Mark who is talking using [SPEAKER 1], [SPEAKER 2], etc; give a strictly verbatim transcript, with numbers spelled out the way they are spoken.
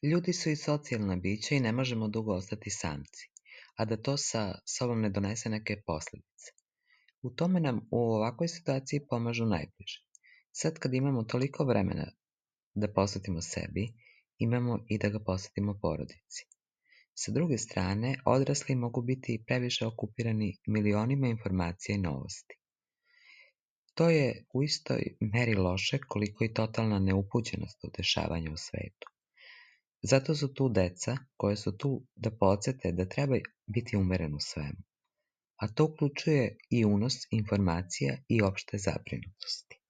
[SPEAKER 1] Ljudi su i socijalna bića i ne možemo dugo ostati samci, a da to sa sobom ne donese neke posljedice. U tome nam u ovakvoj situaciji pomažu najbliži. Sad kad imamo toliko vremena da posvetimo sebi, imamo i da ga posvetimo porodici. Sa druge strane, odrasli mogu biti previše okupirani milionima informacija i novosti. To je u istoj meri loše koliko i totalna neupućenost u dešavanja u svetu. Zato su tu deca koja su tu da podsete da treba biti umeren u svemu, a to uključuje i unos informacija i opšte zabrinutosti.